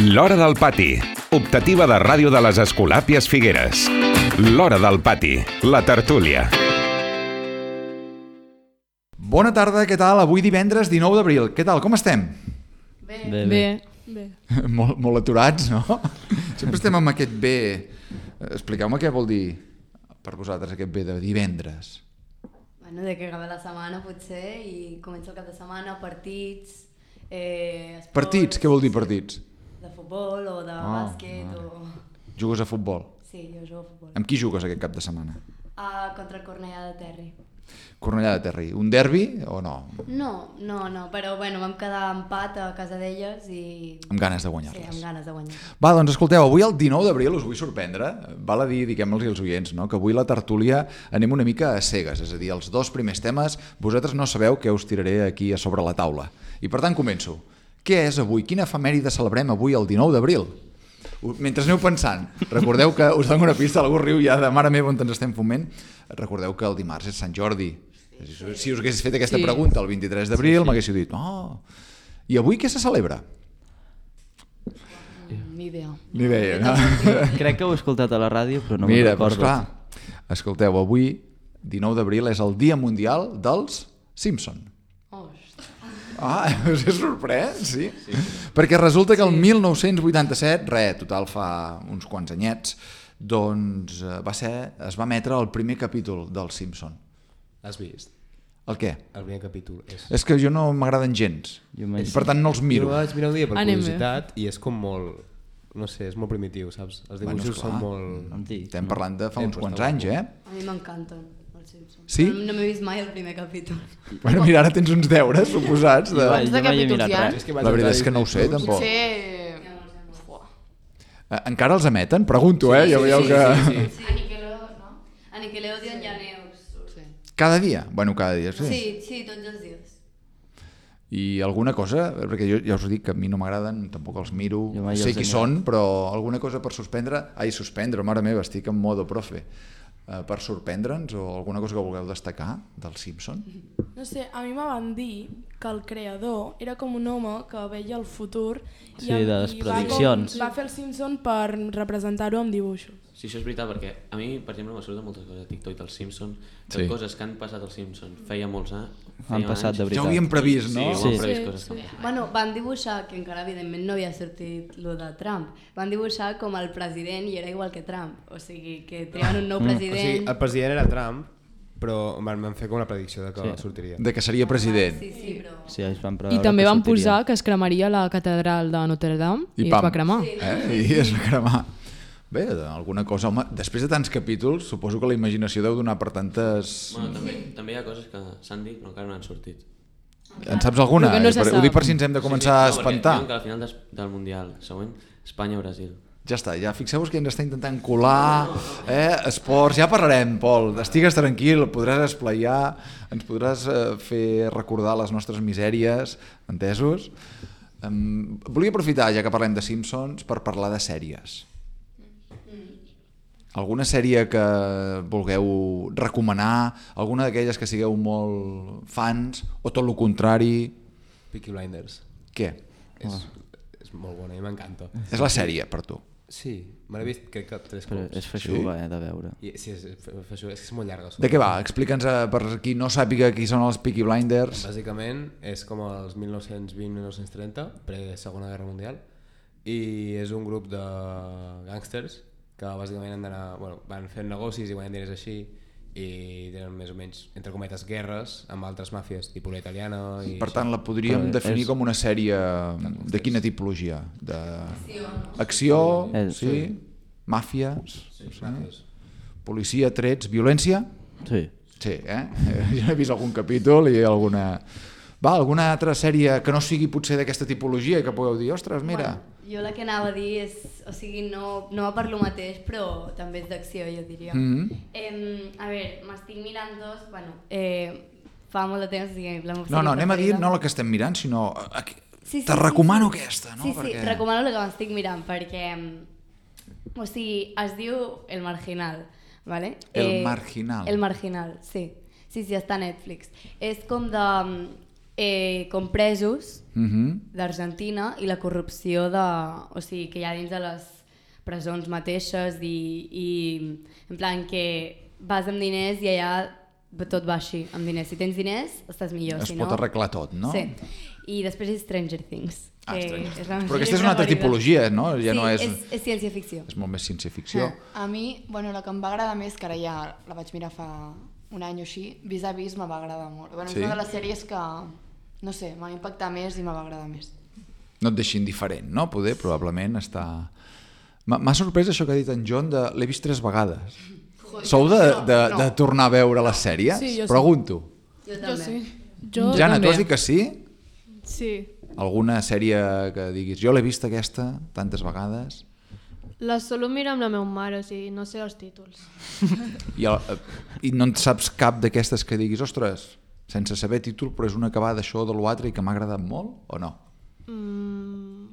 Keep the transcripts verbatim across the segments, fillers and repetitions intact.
L'Hora del Pati, optativa de ràdio de les Escolàpies Figueres. L'Hora del Pati, la tertúlia. Bona tarda, què tal? Avui divendres dinou d'abril. Què tal, com estem? Bé. Bé, bé. Bé. molt, molt aturats, no? Sempre estem amb aquest bé. Expliqueu-me què vol dir per vosaltres aquest bé de divendres. Bueno, de que acaba la setmana potser i comença el cap de setmana, partits, eh, esports... Partits? Què vol dir partits? De futbol o de Oh, bàsquet vale. o... Jugues a futbol? Sí, jo jugo a futbol. Amb qui jugues aquest cap de setmana? Ah, contra el Cornellà de Terri. Cornellà de Terri. Un derbi o no? No, no, no, però bueno, vam quedar empat a casa d'elles i... Amb ganes de Sí, guanyar-les. amb ganes de guanyar. Va, doncs escolteu, avui el dinou d'abril us vull sorprendre. Val a dir, diguem-los als oients, no? Que avui la tertúlia anem una mica a cegues, és a dir, els dos primers temes vosaltres no sabeu què us tiraré aquí a sobre la taula. I per tant començo. Què és avui? Quina efemèride celebrem avui el dinou d'abril? Mentre aneu pensant, recordeu que us dono una pista, algú riu ja de mare meva on ens estem fumant, recordeu que el dimarts és Sant Jordi. Si us hagués fet aquesta Sí. pregunta el vint-i-tres d'abril, Sí, sí. m'haguéssiu dit, oh. I avui què se celebra? Ni idea. Ni idea, no? Crec que ho he escoltat a la ràdio, però no Mira, me'n doncs recordo. clar, escolteu, avui, dinou d'abril, és el Dia Mundial dels Simpson. Ostres. Ah, us he sorprès, sí? sí. Perquè resulta que el mil nou-cents vuitanta-set, re, total fa uns quants anyets, doncs eh, va ser, es va emetre el primer capítol dels Simpson. L'has vist? El què? El primer capítol. És... És que jo no m'agraden gens, Jo m'he- i per tant no els Jo miro. el vaig mirar un dia per Anem bé. curiositat i és com molt... No sé, és molt primitiu, saps? Els Bueno, dibuixos esclar. són molt... Antic. Estem parlant de fa Eh, uns però quants està anys, molt eh? A mi m'encanten els Simpsons. Sí? No, no m'he vist mai el primer capítol. Bueno, mira, ara tens uns deures, suposats. De... Jo, Quants de jo mai he capítols mirat hi ha? res. És que vaig La veritat entrar és que no ho sé, Disney tampoc. Potser... Fuà. Eh, Encara els emeten? Pregunto, eh? Ja veieu que... Sí, sí. A Nickelodeon, no? A Nickelodeon hi ha neus. Sí. Cada dia? Bueno, cada dia, sí. Sí, sí, tots els dies. I alguna cosa, perquè jo ja us dic que a mi no m'agraden, tampoc els miro, Jo mai sé els he qui mirat. són, però alguna cosa per suspendre, ai, suspendre, mare meva, estic en modo profe, uh, per sorprendre'ns o alguna cosa que vulgueu destacar dels Simpson? No sé, a mi me van dir que el creador era com un home que veia el futur i, Sí, de les i va, prediccions. com, va fer el Simpson per representar-ho amb dibuixos. Sí, això és veritat, perquè a mi, per exemple, m'ha sortit moltes coses a TikTok dels Simpsons, Sí. de coses que han passat als Simpsons feia molts anys. Han passat de Ja veritat. ho havíem previst, Sí, no? ho han Sí. previst Sí, coses sí. que... Bueno, van dibuixar, que encara evidentment no havia sortit lo de Trump, van dibuixar com el president i era igual que Trump, o sigui que triaven un nou O president... sigui, el president era Trump, però van, van fer com la predicció de que Sí. sortiria. De que seria president. Sí, sí, però... Sí, es van I preveure també que van sortiria. posar que es cremaria la catedral de Notre Dame i, I es pam. va cremar. Eh? I es va cremar. Bé, alguna cosa, home, després de tants capítols, suposo que la imaginació deu donar per tantes... Bueno, també, també hi ha coses que s'han dit però encara no han sortit. En saps alguna? Però que no se Per- Ho sap. dic per si ens hem de començar a sí, sí, espantar. No, perquè diuen que al final des, del Mundial següent, Espanya-Brasil. Ja està, ja fixeu-vos que ens està intentant colar, eh? Esports, ja parlarem, Pol, estigues tranquil, podràs esplaiar, ens podràs eh, fer recordar les nostres misèries, entesos? Um, volia aprofitar, ja que parlem de Simpsons, per parlar de sèries. Alguna sèrie que vulgueu recomanar, alguna d'aquelles que sigueu molt fans, o tot el contrari? Peaky Blinders. Què? És, és molt bona, a mi m'encanta. És la sèrie, per tu. Sí, me l'he vist crec que tres Però cops. és feixuga, eh, de veure. I, sí, és, és, és, és, és molt llarga. De què va? Explica'ns, eh, per qui no sàpiga qui són els Peaky Blinders. Bàsicament és com els mil nou-cents vint a mil nou-cents trenta, pre-segona guerra mundial, i és un grup de gàngsters que bàsicament han d'anar, bueno, van fent negocis i guanyen diners així i tenen més o menys, entre cometes, guerres amb altres màfies, tipus la italiana i Per tant, la podríem Però definir és- com una sèrie de quina tipologia? De... Acció, Eh, sí, màfies, sí, sí. màfies. Policia, trets, violència? Sí. Sí, eh? Jo he vist algun capítol i alguna... Va, alguna altra sèrie que no sigui potser d'aquesta tipologia i que pugueu dir, ostres, mira... Bueno, jo la que anava a dir és, o sigui, no, no va per lo mateix, però també és d'acció, jo diria. Mm -hmm. eh, a veure, m'estic mirant dos, bueno, eh, fa molt de temps, o sigui, la meva No, no, sèrie anem a dir preferida. no la que estem mirant, sinó... a- a- Sí, sí, Te sí, recomano sí. aquesta, no? Sí, sí, Perquè... recomano la que m'estic mirant, perquè, o sigui, es diu El Marginal, ¿vale? El Marginal. El Marginal, sí. Sí, sí, està a Netflix. És com de... eh, com presos Mhm. d'Argentina i la corrupció de, o sigui, que hi ha dins de les presons mateixes i, i en plan que vas amb diners i allà tot va així, amb diners. Si tens diners estàs millor, Es si pot no... arreglar tot, no? Sí. I després és Stranger Things. Ah, que Stranger és la Things. Però meva aquesta és una altra preferida. tipologia, no? Ja sí, no és... és, és ciència-ficció. És molt més ciència-ficció. A mi, bueno, la que em va agradar més, que ara ja la vaig mirar fa un any o així, Vis a Vis me va agradar molt. Bueno, Sí? és una de les sèries que, no sé, m'ha impactat més i me va agradar més. No et deixi indiferent, no? Poder, probablement, està... M'ha m'ha sorprès això que ha dit en John de l'he vist tres vegades. Sou de, de, de tornar a veure les sèries? Sí, jo sí. Pregunto. Jo Jo també. sí. Jo Jana, tu també. has dit que sí? Sí. Alguna sèrie que diguis jo l'he vist aquesta tantes vegades? La solo miro amb la meva mare, o sigui, no sé els títols. I, el, i no en saps cap d'aquestes que diguis ostres, sense saber títol, però és una acabada d'això o de l'altre i que m'ha agradat molt o no? Mm,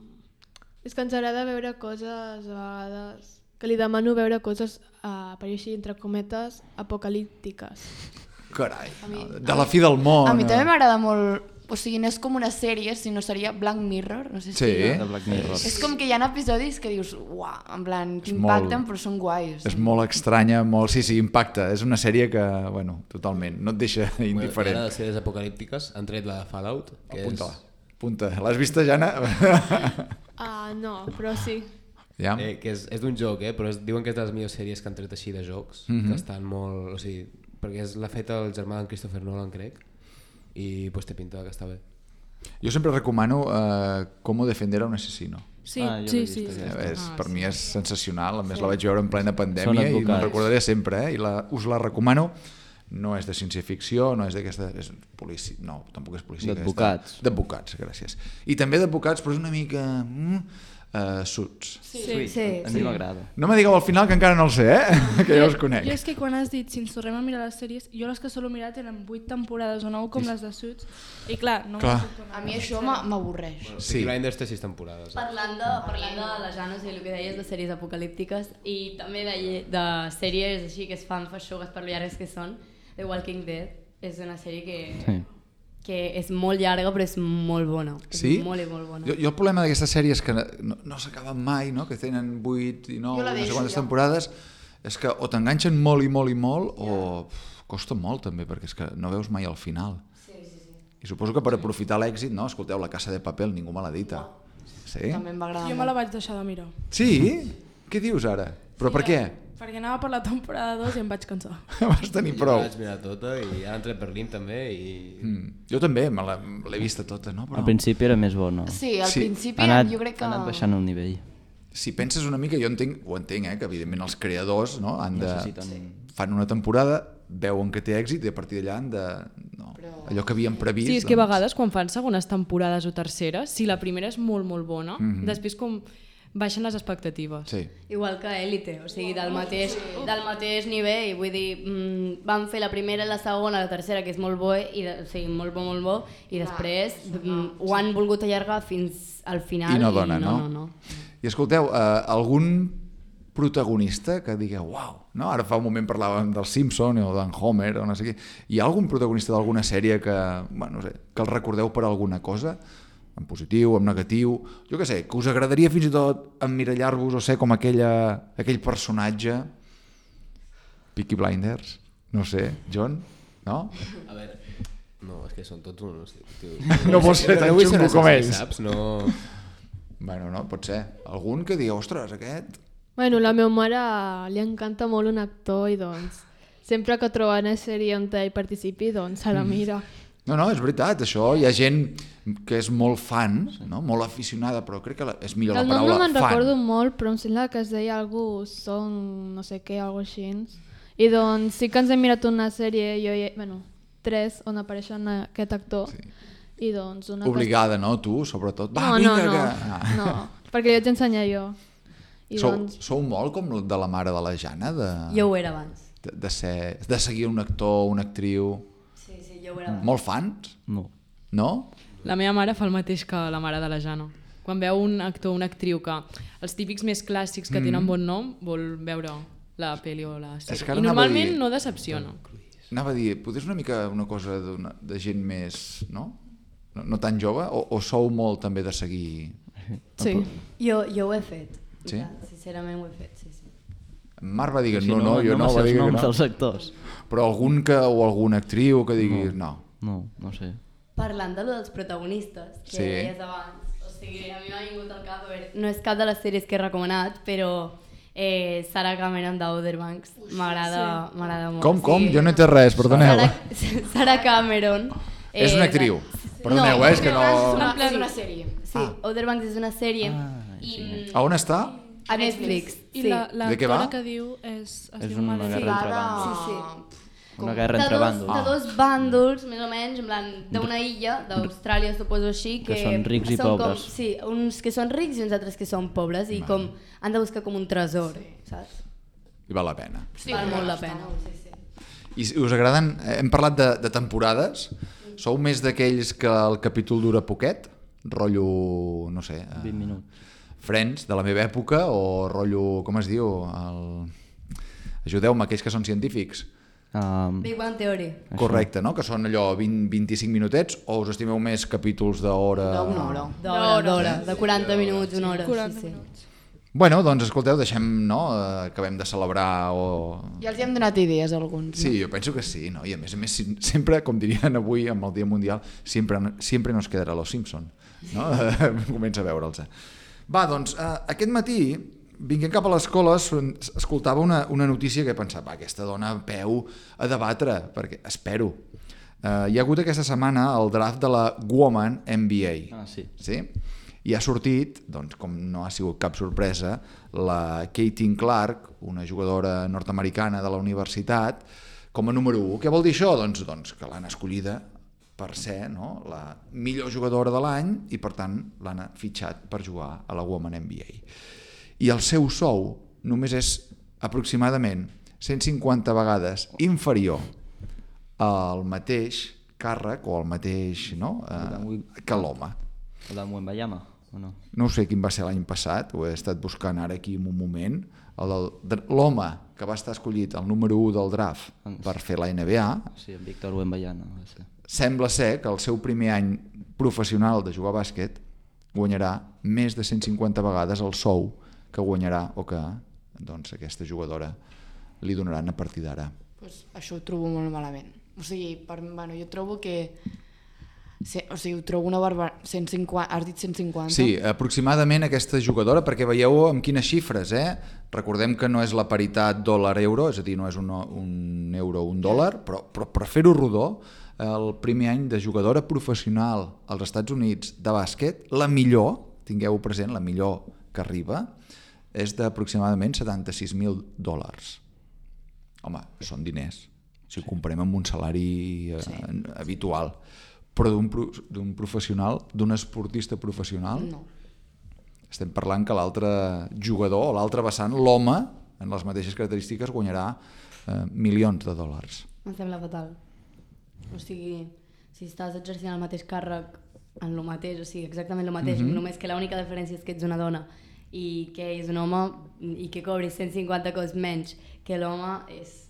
és que ens agrada veure coses, a vegades, que li demano veure coses, uh, per dir així, entre cometes, apocalíptiques. Carai, mi- no, de la fi del món. A mi eh? també m'agrada molt, o sigui, no és com una sèrie, sinó seria Black Mirror, no sé si... Sí. De Black Mirror. És com que hi ha episodis que dius, uau, en plan, És t'impacten molt- però són guais. És molt estranya, molt... Sí, sí, impacta. És una sèrie que, bueno, totalment, no et deixa Bueno, i indiferent. ara de sèries apocalíptiques han tret la de Fallout, que Apunta-la. és, Apunta. L'has vista, Jana? Ah, no, però sí. ja? eh, que és, és d'un joc, eh, però es, diuen que és de les millors sèries que han tret així de jocs, Mhm. que estan molt... O sigui, perquè és l'ha fet el germà d'en Christopher Nolan, crec, i pues, té pinta que està bé. Jo sempre recomano uh, Cómo defender a un asesino. Sí, Ah, jo sí, l'he sí. vist, sí. aquesta. És, Ah, per sí. mi és sensacional, a més la vaig veure en plena Són pandèmia i me'n advocats. recordaré sempre, eh? I la, us la recomano. No és de ciència-ficció, no és d'aquesta... És policia, no, tampoc és policia. D'advocats. aquesta. D'advocats, gràcies. I també d'advocats, però és una mica... Mm, uh, Suits. Sí, Sí, sí, a sí. mi m'agrada. No me digueu al final que encara no el sé, eh? Que ja us conec. Jo és que quan has dit si ens tornem a mirar les sèries, jo les que solo mirar tenen vuit temporades o nou com les de Suits, i clar, no Clar. m'ho puc tornar A mi això m'a- m'avorreix. Bueno, Sí. Peaky Blinders té sis temporades. Eh? Parlant de, parlant de les Janes i el que deies de sèries apocalíptiques i també de, lle- de sèries així que es fan feixugues per lo llargues que són, The Walking Dead és una sèrie que, Sí. que és molt llarga però és molt bona. Sí? És molt i molt bona. Jo, jo el problema d'aquestes sèries que no, no s'acaben mai, no? Que tenen vuit i nou, Jo la no sé deixo, quantes ja. temporades, és que o t'enganxen molt i molt i molt o pf, costa molt també, perquè és que no veus mai al final. Sí, sí, sí. I suposo que per aprofitar l'èxit, no? Escolteu, La Casa de Papel, ningú me l'ha dita. Sí? També em va agradar Jo me la vaig deixar de mirar. Sí? Què dius ara? Però per què? Perquè anava per la temporada dos i em vaig cansar. Vas tenir Jo prou. la vaig mirar tota i ara han tret Berlín també i... Mm. Jo també, me la- l'he vista tota, no? Però Al principi era més bona. Sí, al Sí. principi Ha anat, jo crec que... ha anat baixant el nivell. si penses una mica, jo entenc, ho entenc, eh? Que evidentment els creadors no? han de... Necessiten- fan una temporada, veuen que té èxit i a partir d'allà han de... No, Però- allò que havien previst... Sí, és que a doncs- vegades quan fan segones temporades o terceres, si la primera és molt, molt bona, Mhm. després com baixen les expectatives. Sí. Igual que Élite, o sigui, del mateix, del mateix nivell, vull dir, mm, van fer la primera, la segona, la tercera, que és molt bo, i de, o sigui, molt bo, molt bo, i després mm, ho han volgut allargar fins al final I no dona, no? no? no, no. I escolteu, eh, algun protagonista que digueu, uau, no? Ara fa un moment parlàvem del Simpson o d'en Homer o no sé què. Hi ha algun protagonista d'alguna sèrie que, bueno, no sé, que el recordeu per alguna cosa? En positiu, en negatiu, jo què sé, que us agradaria fins i tot emmirallar-vos o ser com aquella, aquell personatge? Peaky Blinders? No sé, John? No? A veure, no, és que són tots uns... Tio, No pots ser tan vull xungo com assassí, ells. Saps? No... Bueno, no, pot ser. Algun que digueu, ostres, aquest... Bueno, la meva mare li encanta molt un actor i doncs sempre que troba una sèrie on ell participi, doncs se la mira. No, no, és veritat, això. Hi ha gent que és molt fan, no? Molt aficionada, però crec que la- és millor El la nom no paraula me'n fan. recordo molt, però em sembla que es deia algú Song, no sé què, algo així. I doncs sí que ens hem mirat una sèrie, jo i, bueno, tres, on apareixen aquest actor. Sí. I doncs una Obligada, no? Tu, sobretot. Que... Va, No, vinga, no, no, que... Ah. no, perquè jo t'he ensenyat jo. I Sou, doncs, sou molt com de la mare de la Jana, de, Jo ho era abans. de, de, ser, de seguir un actor, una actriu... Sí, sí, jo ho era abans. Molt fans? No. No? La meva mare fa el mateix que la mare de la Jana. Quan veu un actor o una actriu que els típics més clàssics que tenen bon nom, vol veure la pel·li o la És sèrie. que ara I anava a normalment dir- no decepciona. Anava a dir, potser és una mica una cosa d'una- de gent més, no? no, no tan jove, o, o sou molt també de seguir? Sí. Jo, jo ho he fet. Sí? Sincerament ho he fet, sí, sí. Marc va dir que Si no, no, jo no, no, no va sé dir els que noms no. dels actors. Però algun que, o alguna actriu que diguis no. No, no sé. Parlant de lo dels protagonistes, que Sí. deies abans, o sigui, a mi m'ha vingut al cap, a veure, no és cap de les sèries que he recomanat, però eh, Sarah Cameron d'Outer Banks m'agrada sí. m'agrada molt. Com, com? Sí. Jo no he entès res, perdoneu. Sarah, Sarah Cameron. És una actriu. Perdoneu, no, eh, és que no... És una, Sí. és una sèrie. Sí, ah. Outer Banks és una sèrie Ah, i, sí. A on està? a Netflix. I Sí. la, la De què va? actora que diu és... Es És diu una Madeleine. guerra entre Lligada- bandos. Sí, Una guerra de entre dos, bandos. de dos bàndols, més o menys, en plan, d'una illa, d'Austràlia, suposo així, que, Que són rics i són pobres. Com, sí, uns que són rics i uns altres que són pobres, i com han de buscar com un tresor, saps? I val la pena. Sí, val molt la pena. Sí, sí. I si us agraden, hem parlat de, de temporades, sou més d'aquells que el capítol dura poquet? Rotllo, no sé... eh, vint minuts. Friends, de la meva època, o rotllo, com es diu? El... Ajudeu-me, aquells que són científics. Um, Big Bang Theory. Correcte, no? Que són allò vint a vint-i-cinc minutets, o us estimeu més capítols d'hora? D'una hora. D'hora, d'hora, de quaranta minuts, una hora. quaranta sí, sí. minuts. Bueno, doncs escolteu, deixem, no? Eh, acabem de celebrar o... Ja els hi hem donat idees a alguns. Sí, jo penso que sí, no? I a més a més, si- sempre, com dirien avui amb el Dia Mundial, sempre, sempre nos quedarà Los Simpson, no? Comença a veure'ls. Va, doncs, eh, aquest matí, vinguent cap a l'escola, es- escoltava una, una notícia que pensava, va, aquesta dona peu a debatre, perquè espero. Eh, hi ha hagut aquesta setmana el draft de la Woman N B A. Ah, sí. Sí? I ha sortit, doncs, com no ha sigut cap sorpresa, la Caitlin Clark, una jugadora nord-americana de la universitat, com a número u. Què vol dir això? Doncs, doncs que l'han escollida per ser, no?, la millor jugadora de l'any i, per tant, l'han fitxat per jugar a la Women N B A. I el seu sou només és aproximadament cent cinquanta vegades inferior al mateix càrrec o al mateix, no?, eh, que l'home. El de Mwembayama, o no? No sé quin va ser l'any passat, ho he estat buscant ara aquí en un moment, el del, l'home que va estar escollit el número u del draft per fer la N B A, Sí, en Víctor Wembanyama va ser. sembla ser que el seu primer any professional de jugar a bàsquet guanyarà més de cent cinquanta vegades el sou que guanyarà o que, doncs, aquesta jugadora li donaran a partir d'ara. Pues això ho trobo molt malament. O sigui, per, bueno, jo trobo que... Sí, o sigui, ho trobo una barba... cent cinquanta, has dit cent cinquanta? Sí, aproximadament aquesta jugadora, perquè veieu amb quines xifres, eh? Recordem que no és la paritat dòlar-euro, és a dir, no és un, un euro o un dòlar, però, però per fer-ho rodó, el primer any de jugadora professional als Estats Units de bàsquet, la millor, tingueu present, la millor que arriba, és d'aproximadament setanta-sis mil dòlars. Home, són diners, si ho comparem amb un salari eh, Sí. habitual. Però d'un pro, d'un professional, d'un esportista professional, No. estem parlant que l'altre jugador, o l'altre vessant, l'home, en les mateixes característiques, guanyarà eh, milions de dòlars. Em sembla fatal. O sigui, si estàs exercint el mateix càrrec en el mateix, o sigui, exactament el mateix, Mhm. només que l'única diferència és que ets una dona i que és un home i que cobris cent cinquanta cops menys que l'home és,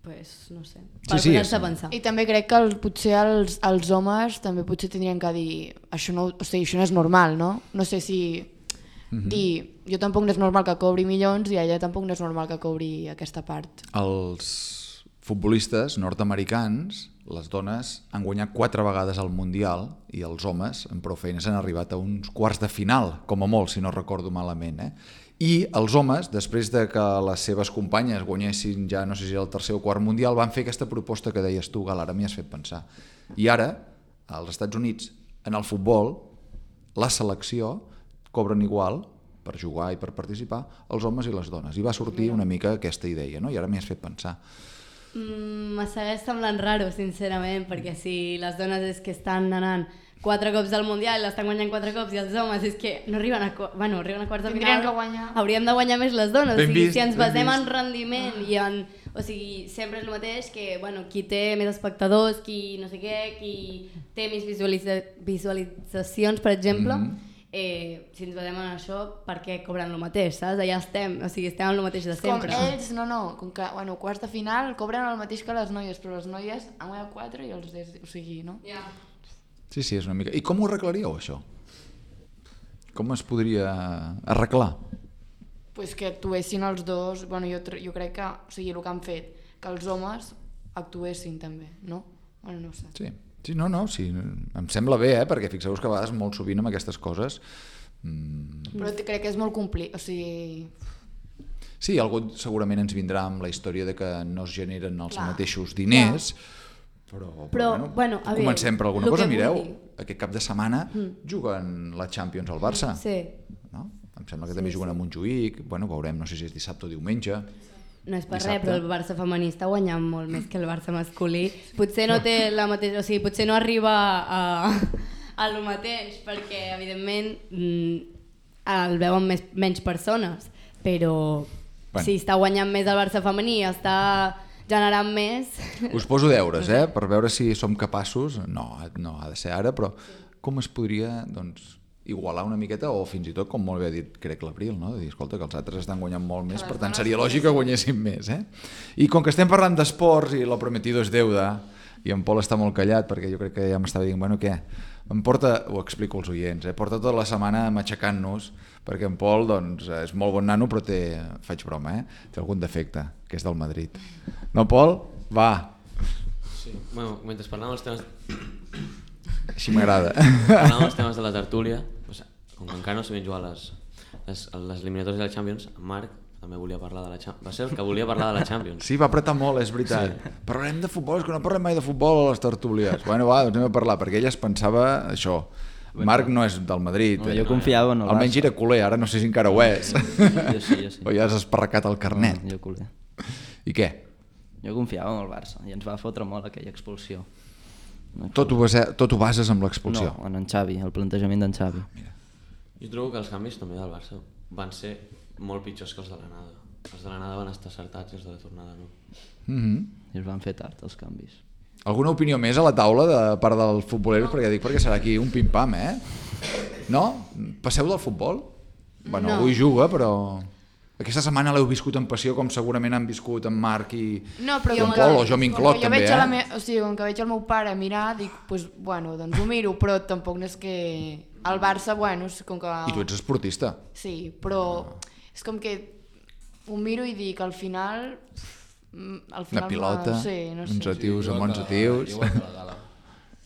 pues, no sé, per Sí, sí, posar-se és- a pensar. I també crec que el, potser els, els homes també potser tindrien que dir això no, o sigui, això no és normal, no? No sé si Mhm. dir jo tampoc no és normal que cobri milions i ella tampoc no és normal que cobri aquesta part. Els futbolistes nord-americans, les dones han guanyat quatre vegades al Mundial i els homes, amb prou feines, han arribat a uns quarts de final, com a molt, si no recordo malament. Eh? I els homes, després de que les seves companyes guanyessin ja, no sé si el tercer o quart Mundial, van fer aquesta proposta que deies tu, Gal, ara m'hi has fet pensar. I ara, als Estats Units, en el futbol, la selecció cobren igual per jugar i per participar els homes i les dones. I va sortir una mica aquesta idea, no? I ara m'hi has fet pensar. Mm, me segueix semblant raro, sincerament, perquè si les dones és que estan anant quatre cops al Mundial i l'estan guanyant quatre cops i els homes és que no arriben a, qu- bueno, arriben a quarts de Tindrien final, que guanyar. hauríem de guanyar més les dones. Ben o sigui, vist, si ens ben basem vist. en rendiment i en... O sigui, sempre és el mateix que, bueno, qui té més espectadors, qui no sé què, qui té més visualitza visualitzacions, per exemple, Mhm. eh, si ens basem en això, per què cobren el mateix, saps? Allà estem, o sigui, estem en el mateix de Com sempre. ells, no, no, com que, bueno, quarts de final cobren el mateix que les noies, però les noies han guanyat quatre i els des, o sigui, no? Ja. Sí, sí, és una mica... I com ho arreglaríeu, això? Com es podria arreglar? Pues que actuessin els dos, bueno, jo, jo crec que, o sigui, el que han fet, que els homes actuessin també, no? Bueno, no ho sé. Sí, sí no, no, sí, em sembla bé, eh? Perquè fixeu-vos que a vegades molt sovint amb aquestes coses... Mm... Però crec que és molt complit, o sigui... Sí, algú segurament ens vindrà amb la història de que no es generen els Clar. mateixos diners, però, però, Però, bueno, bueno, a veure, comencem per alguna el cosa. que Mireu, vull dir. aquest cap de setmana juguen la Champions al Barça. Sí. No? Em sembla que Sí, també juguen sí. a Montjuïc, bueno, veurem, no sé si és dissabte o diumenge. No és per Dissabte. res, però el Barça femení està guanyant molt més que el Barça masculí. Potser no té la mateixa, o sigui, potser no arriba a, a lo mateix, perquè evidentment mm, el veuen més, menys persones, però Bueno. si està guanyant més el Barça femení, està generant més... Us poso deures, eh? Per veure si som capaços, no, no ha de ser ara, però com es podria, doncs, igualar una miqueta o fins i tot, com molt bé ha dit, crec l'Abril, no? De dir, escolta, que els altres estan guanyant molt més, per tant seria lògic que guanyessin més, eh? I com que estem parlant d'esports i lo prometido es deuda, i en Pol està molt callat perquè jo crec que ja m'estava dient, bueno, què? Em porta, ho explico als oients, eh? Porta tota la setmana matxacant-nos perquè en Pol, doncs, és molt bon nano, però té, faig broma, eh? Té algun defecte, que és del Madrid. No, Pol? Va. Sí. Bueno, mentre parlàvem els temes... Així m'agrada. Parlàvem els temes de la tertúlia, doncs, com que encara no sabien jugar les, les, les eliminatòries de la Champions, en Marc també volia parlar de la Champions. Va ser el que volia parlar de la Champions. Sí, va apretar molt, és veritat. Sí. Parlarem de futbol, és que no parlem mai de futbol a les tertúlies. Bueno, va, doncs anem a parlar, perquè ella es pensava això. Marc no és del Madrid. No, jo confiava en el Almenys Barça. era culer, ara no sé si encara ho és. Jo sí, jo sí. O ja has esparracat el carnet. No, jo culer. I què? Jo confiava en el Barça i ens va fotre molt aquella expulsió. Tot ho, base, tot ho bases amb l'expulsió? No, en en Xavi, el plantejament d'en Xavi. Jo trobo que els canvis també del Barça van ser molt pitjors que els de l'anada. Els de l'anada van estar acertats i els de la tornada no. Mm-hmm. I es van fer tard, els canvis. Alguna opinió més a la taula de part dels futboleros? Perquè dic, perquè serà aquí un pim-pam, eh? No? Passeu del futbol? Bueno, No. avui juga, però... Aquesta setmana l'heu viscut en passió com segurament han viscut en Marc i, No, però i com en que- Pol, o jo m'incloc com que jo també, veig a la eh? me... o sigui, com que veig el meu pare mirar, dic, pues, bueno, doncs ho miro, però tampoc no és que... El Barça, bueno, és com que... I tu ets esportista. Sí, però és com que ho miro i dic, al final... mm, Al Una final pilota, va... sí, no sé. uns atius amb igual uns que la- atius. Igual que la gala.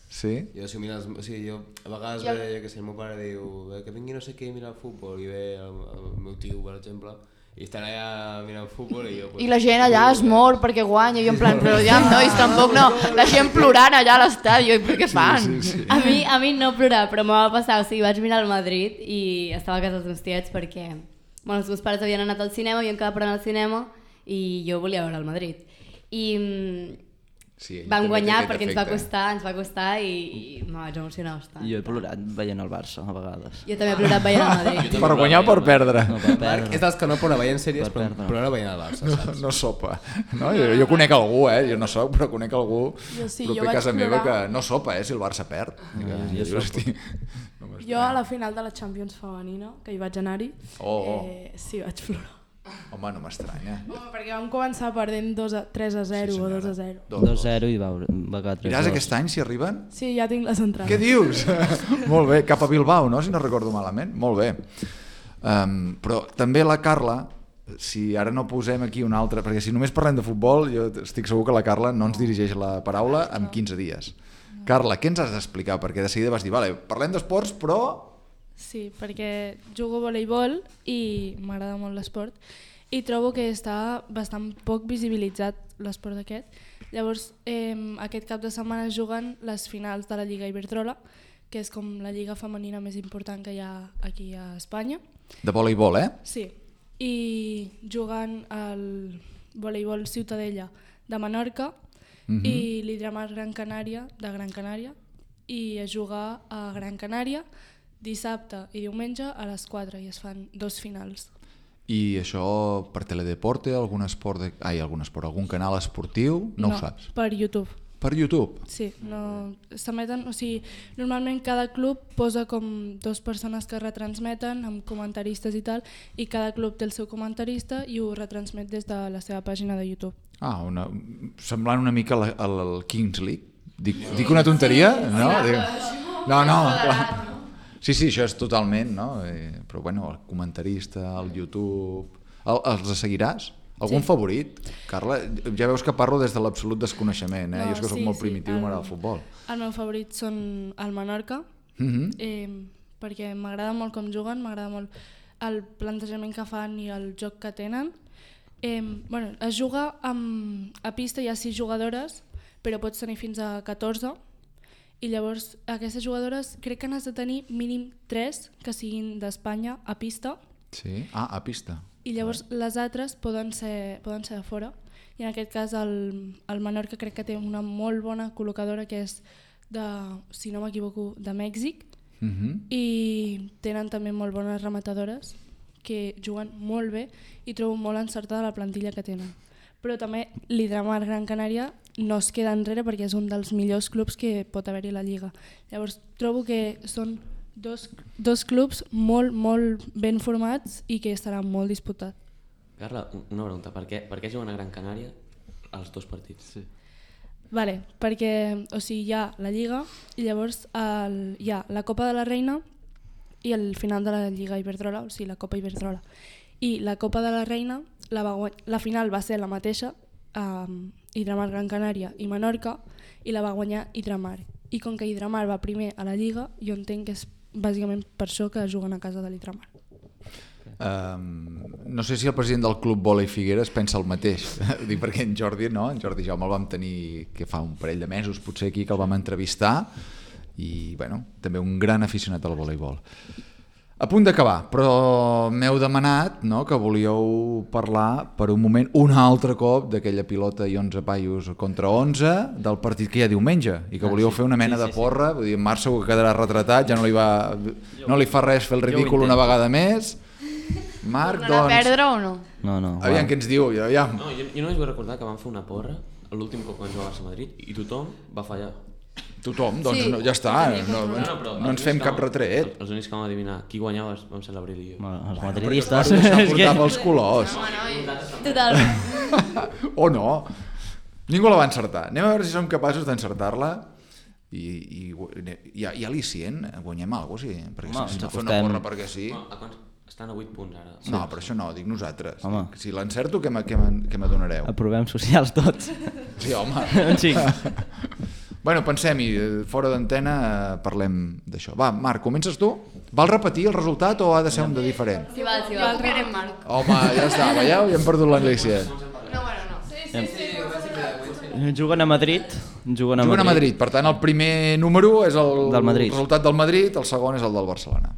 Sí? Jo, si mires, o sigui, jo a vegades I el- ve, que sé, el meu pare diu "Eh, que vingui no sé què a mirar el futbol i ve el, el meu tio, per exemple, i estan allà mirant futbol i jo... Pues, I la gent allà es mor perquè guanya, i jo en plan, però ja, nois, tampoc no, la gent plorant allà a l'estadi, i per què fan? Sí, sí, sí. A mi, a mi no plorar, però m'ho va passar, o sigui, vaig mirar el Madrid i estava a casa dels meus tiets perquè bueno, els meus pares havien anat al cinema, havien quedat per anar al cinema i jo volia veure el Madrid. I mm, Sí, ell vam també té guanyar aquest perquè ens va efecte. costar, ens va costar i, i me vaig emocionar bastant. Jo he plorat veient el Barça, a vegades. Jo també he plorat veient el Madrid. Per guanyar o per perdre? No, per Marc perdre. és dels que no plora veient sèries, Per però perdre. plora veient el Barça, No, saps? no sopa. No? Jo, jo conec algú, eh? Jo no soc, però conec algú Jo sí, proper jo a vaig casa meva que plorar. no sopa, eh? Si el Barça perd. No, Que, jo- jo jo sopo. estic... Jo a la final de la Champions femenina, que hi vaig anar-hi, Oh, oh. eh, sí, vaig plorar. Home, no m'estranya. Home, perquè vam començar perdent dos a, tres a zero Sí, o senyora. dos a zero. dos zero i va, va quedar tres Iràs dos. aquest any, si arriben? Sí, ja tinc les entrades. Què dius? Molt bé, cap a Bilbao, no? Si no recordo malament. Molt bé. Um, però també la Carla, si ara no posem aquí una altra, perquè si només parlem de futbol, jo estic segur que la Carla no ens dirigeix la paraula en quinze dies. Carla, què ens has d'explicar? Perquè de seguida vas dir, vale, parlem d'esports, però... Sí, perquè jugo a voleibol i m'agrada molt l'esport i trobo que està bastant poc visibilitzat l'esport aquest. Llavors, eh, aquest cap de setmana es juguen les finals de la Lliga Iberdrola, que és com la lliga femenina més important que hi ha aquí a Espanya. De voleibol, eh? Sí, i juguen al voleibol Ciutadella de Menorca Mhm. i l'Hidramar Gran Canària de Gran Canària, i es juga a Gran Canària dissabte i diumenge a les quatre i es fan dos finals. I això per Teledeporte, algun esport, de... Ai, algun esport, algun canal esportiu? No, ho saps. Per YouTube. Per YouTube? Sí, no, s'emeten, o sigui, normalment cada club posa com dos persones que retransmeten amb comentaristes i tal, i cada club té el seu comentarista i ho retransmet des de la seva pàgina de YouTube. Ah, una... semblant una mica al, al Kings League. Dic, dic una tonteria? No? Dic... No, no, clar. Sí, sí, això és totalment, no? Eh, però bueno, el comentarista, el YouTube... El, els seguiràs? Algun sí. favorit? Carla, ja veus que parlo des de l'absolut desconeixement, eh? No, jo és que soc sí, molt primitiu, sí. m'agrada el futbol. El meu favorit són el Menorca, mm-hmm. eh, perquè m'agrada molt com juguen, m'agrada molt el plantejament que fan i el joc que tenen. Eh, bueno, es juga amb, a pista, hi ha sis jugadores, però pots tenir fins a catorze, i llavors aquestes jugadores crec que n'has de tenir mínim tres que siguin d'Espanya a pista. Sí? Ah, a pista. I llavors les altres poden ser, poden ser de fora. I en aquest cas el, el Menorca crec que té una molt bona col·locadora que és de, si no m'equivoco, de Mèxic. Uh-huh. I tenen també molt bones rematadores que juguen molt bé i trobo molt encertada la plantilla que tenen. Però també l'Hidramar Gran Canària no es queda enrere perquè és un dels millors clubs que pot haver-hi a la Lliga. Llavors trobo que són dos, dos clubs molt, molt ben formats i que estaran molt disputats. Carla, una pregunta. Per què, per què juguen a Gran Canària els dos partits? Sí. Vale, perquè o sigui, hi ha la Lliga i llavors el, hi ha la Copa de la Reina i el final de la Lliga Iberdrola, o sigui, la Copa Iberdrola. I la Copa de la Reina, la, va, la final va ser la mateixa, um, Hidramar Gran Canària i Menorca, i la va guanyar Hidramar. I com que Hidramar va primer a la Lliga, jo entenc que és bàsicament per això que juguen a casa de l'Hidramar. Um, no sé si el president del Club Vòlei Figueres pensa el mateix. Dic perquè en Jordi, no? En Jordi Jaume el vam tenir que fa un parell de mesos, potser aquí, que el vam entrevistar, i bueno, també un gran aficionat al voleibol. A punt d'acabar, però m'heu demanat, no, que volíeu parlar per un moment un altre cop d'aquella pilota i onze paios contra onze del partit que hi ha diumenge i que volíeu ah, sí. fer una mena sí, sí, de porra, vull dir, en Marc segur que quedarà retratat, ja no li, va, no li fa res fer el ridícul una vegada més. Marc, doncs... a perdre o no? No, no. Aviam què ens diu, aviam. No, jo, jo només vull recordar que vam fer una porra l'últim cop que vam jugar a Barça-Madrid i tothom va fallar. Tothom, doncs sí. no, ja està, no, no, no, no, no ens fem cap retret. Els, els únics que vam adivinar qui guanyava vam ser l'Abril i jo. Bueno, els madridistes. Bueno, però portava els colors. No, no, totalment. O no. Ningú la va encertar. Anem a veure si som capaços d'encertar-la i, i, i, i al·licient, guanyem alguna cosa, sí. Perquè Home, si s'ha de fer una porra perquè sí. No, estan a vuit punts ara. No, però això no, dic nosaltres. Home. Si l'encerto, què m'adonareu? Aprovem socials tots. Sí, home. Sí. Bueno, pensem-hi, fora d'antena parlem d'això. Va, Marc, comences tu? Val repetir el resultat o ha de ser un de diferent? Sí, val, sí, val. Repetirem, Marc. Home, ja està, veieu? Ja hem perdut l'Anglícia. No, bueno, no. Sí, sí, sí. Juguen a Madrid. Juguen a, juguen a Madrid. Per tant, el primer número és el, del el resultat del Madrid, el segon és el del Barcelona.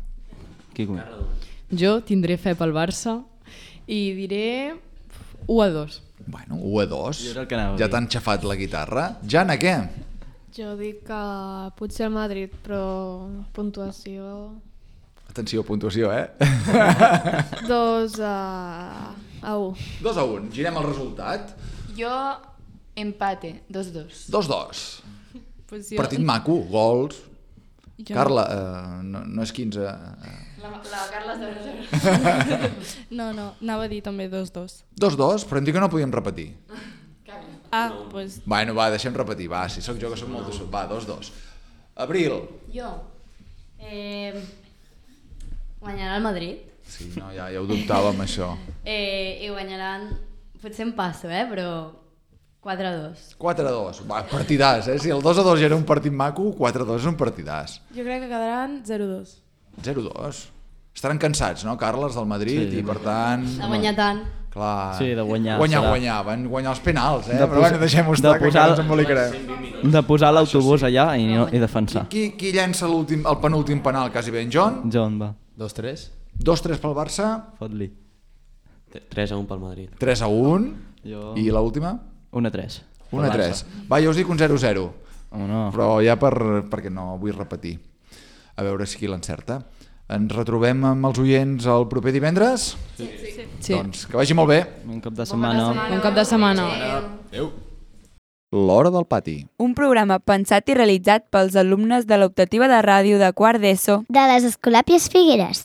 Qui comença? Jo tindré fe pel Barça i diré u a dos. Bueno, u a dos. Ja t'han xafat la guitarra. Jana, què? Jo dic que potser el Madrid, però puntuació... Atenció, puntuació, eh? Dos a, a un. Dos a un. Girem el resultat. Jo empate, dos dos. Dos dos. Pues jo... Partit maco, gols. Jo... Carla, eh, no, no és quinze... Eh... La, la Carla és de zero. No, no, anava a dir també dos dos. Dos dos, però em dic que no podíem repetir. Ah, doncs... Pues... Bueno, va, deixem repetir, va, si sóc jo que sóc molt de... Va, dos dos. Abril. Jo. Eh... Guanyarà el Madrid. Sí, no, ja, ja ho dubtàvem, això. Eh, I guanyaran... Potser em passo, eh, però... quatre a dos. quatre a dos. Va, partidàs, eh? Si el dos a dos ja era un partit maco, quatre a dos és un partidàs. Jo crec que quedaran zero a dos. zero a dos. Estaran cansats, no, Carles, del Madrid, sí, i per tant... De guanyar tant. Clar, sí, de guanyar. Guanyar, serà. guanyar, van guanyar els penals, eh? De Però bueno, deixem-ho estar, que encara ens embolicarem. De posar l'autobús sí. allà i, no, i defensar. Qui, qui llença el penúltim penal, quasi ben, John? John, va. dos tres. dos tres pel Barça. Fot-li. tres a un pel Madrid. tres a un. Jo... I l'última? un a tres. un a tres. Va, jo us dic un zero a zero. Oh, no. Però ja per, perquè no vull repetir. A veure si qui l'encerta. Ens retrobem amb els oients el proper divendres? Sí. sí. sí. Doncs que vagi molt bé. Un cap de setmana. Un cap de setmana. Adéu. L'Hora del Pati. Un programa pensat i realitzat pels alumnes de l'optativa de ràdio de quart d'ESO de les Escolàpies Figueres.